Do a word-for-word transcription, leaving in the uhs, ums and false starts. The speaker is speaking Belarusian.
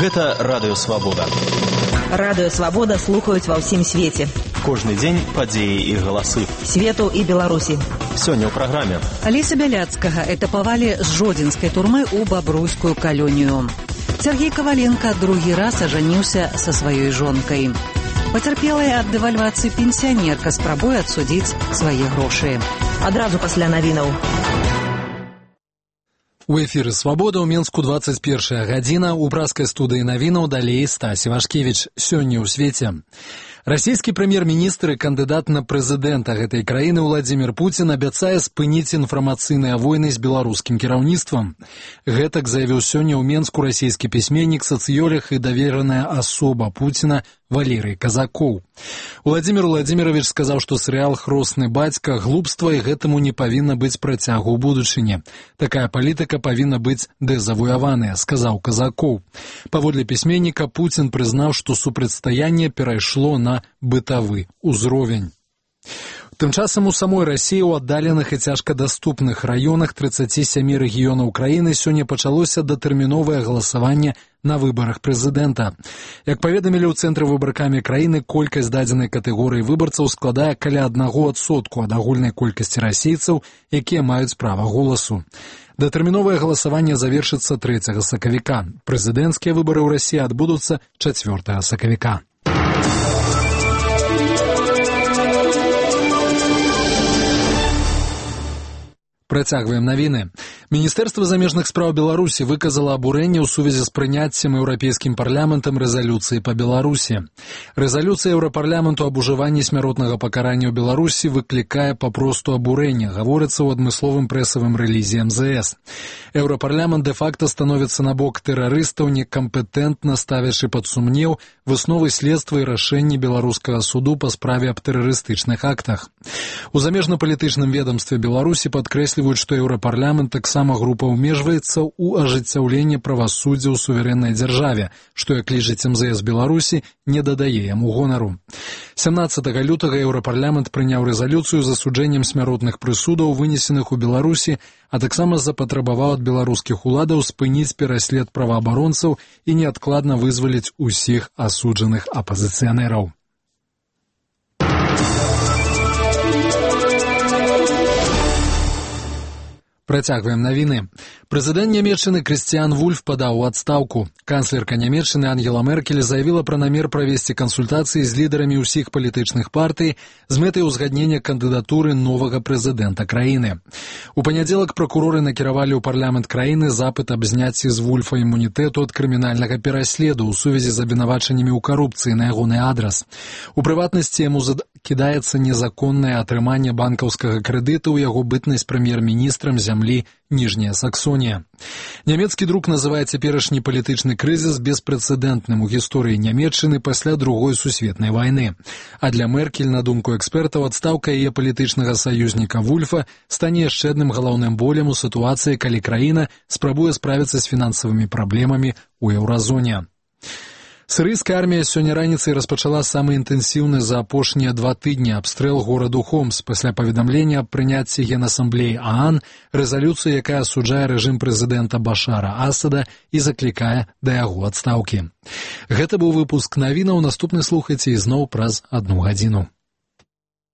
Гэта Радыё Свабода. Радыё Свабода слухаюць ва ўсім свеце. Кожны дзень падзеі і галасы. Свету і Беларусі. Сёння ў праграме. Алеся Бяляцкага этапавалі з жодзінскай турмы ў бабруйскую калонію. Сергей Коваленко другі раз ажаніўся са сваёй жонкай. Пацярпелая ад дэвальвацыі пенсіянерка спрабуе адсудзіць свае грошы. Адразу пасля навінаў. У эфіры «Свабода» ў Менску двадцать первая гадзіна. У праскай студыі навінаў далей Стась Івашкевіч. Сёння ў свеце. Расійскі прэм'ер-міністр і кандыдат на прэзідэнта гэтай краіны Владзімір Пуцін абяцае спыніць інфармацыйныя войны з беларускім кіраўніцтвам. Гэтак заявіў сёння ў Менску расійскі пісьменнік, сацыёлог і давераная асоба Пуціна Валерый Казакоў. Владзімір Владзімірович сказаў, што серыял «Хросны бацька» глупства і гэтаму не павінна быць працягу ў будучыні. Такая палітыка павінна быць дэзавуяваная, сказаў Казакоў. Паводле пісьменніка, Пуцін прызнаў, што супрацьстаянне перайшло на бытавы ўзровень. Тым часам у самой Расіі ў аддаленых і цяжкадаступных раёнах трыццаці сямі рэгіёнаў краіны сёння пачалося датэрміновае галасаванне на выбарах прэзідэнта. Як паведамілі ў цэнтры выбаркамі краіны, колькасць дадзенай катэгорыі выбарцаў складае каля аднаго адсотку ад агульнай колькасці расейцаў, якія маюць права голасу. Датэрміновае галасаванне завершыцца трэцяга сакавіка. Прэзідэнцкія выбары ў Расіі адбудуцца чацвёртага сакавіка. Працягваем навіны. Міністэрства замежных спраў Беларусі выказала абурэнне ў сувязі з прыняццем еўрапейскім парламентам рэзалюцыі па Беларусі. Рэзалюцыя еўрапарламенту аб ужыванні смяротнага пакарання ў Беларусі выклікае папросту абурэнне, гаворыцца ў адмысловым прэсавым рэлізе эм зэ эс. Еўрапарламент дэ-факта становіцца на бок тэрарыстаў, некампетэнтна ставячы пад сумнеў высновы следства і рашэнні беларускага суду па справе аб тэрарыстычных актах. У замежна-палітычным ведамстве Беларусі падкрэсліваюць, што еўрапарламент таксама група ўмежваецца ў ажыццяўленне правасуддзя ў суверэннай дзяржаве, што, як лічыць эм зэ эс Беларусі, не дадае яму гонару. сямнаццатага лютага еўрапарламент прыняў рэзалюцыю з асуджэннем смяротных прысудаў, вынесеных у Беларусі, а таксама запатрабаваў ад беларускіх уладаў спыніць пераслед праваабаронцаў і неадкладна вызваліць усіх асуджаных апазіцыянераў. Працягваем навіны. Прэзідэнт Нямецчыны Крыстіян Вульф падаў у адстаўку. Канцлерка Нямецчыны Ангела Меркель заявіла пра намер правесці кансультацыі з лідарамі ўсіх палітычных партый з мэтай узгаднення кандыдатуры новага прэзідэнта краіны. У панядзелак пракуроры накіравалі ў парламент краіны запыт аб зняцці з Вульфа імунітэту ад крымінальнага пераследу ў сувязі з абвінавачаннямі ў карупцыі на ягоны адрас. У прыватнасці яму кідаецца незаконнае атрыманне банкаўскага крэдыта ў яго бытнасць прэм'ер-міністрам зямлі Ніжняя Саксонія. Нямецкі друк называе цяперашні палітычны крызіс беспрэцэдэнтным у гісторыі Нямецчыны пасля другой сусветнай вайны. А для Меркель, на думку экспертаў, адстаўка яе палітычнага саюзніка Вульфа стане яшчэ адным галоўным болем у сітуацыі, калі краіна спрабуе справіцца з фінансавымі праблемамі ў еўразоне. Сірыйская армія сёння раніцай распачала самы інтэнсіўны за апошнія два тыдні абстрэл гораду Хомс пасля паведамлення аб прыняцці Генасамблеі ААН рэзалюцыі, якая асуджае рэжым прэзідэнта Башара Асада і заклікае да яго адстаўкі. Гэта быў выпуск навінаў. Наступны слухайце ізноў праз адну гадзіну.